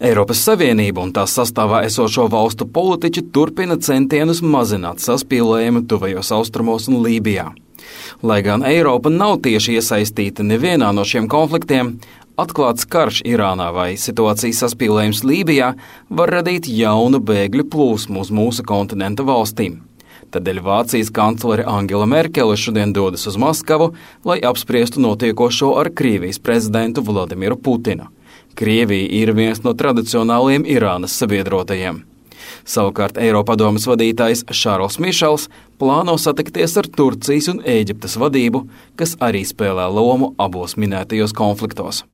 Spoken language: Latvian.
Eiropas Savienība un tās sastāvā esošo valstu politiķi turpina centienus mazināt saspīlējumu tuvajos austrumos un Lībijā. Lai gan Eiropa nav tieši iesaistīta nevienā no šiem konfliktiem, atklāts karš Irānā vai situācijas saspīlējums Lībijā var radīt jaunu bēgļu plūsmu uz mūsu kontinenta valstīm. Tādēļ Vācijas kanclere Angela Merkele šodien dodas uz Maskavu, lai apspriestu notiekošo ar Krievijas prezidentu Vladimiru Putinu. Krievija ir viens no tradicionāliem Irānas sabiedrotajiem. Savukārt Eiropadomes vadītājs Šārls Mišels plāno satikties ar Turcijas un Ēģiptes vadību, kas arī spēlē lomu abos minētajos konfliktos.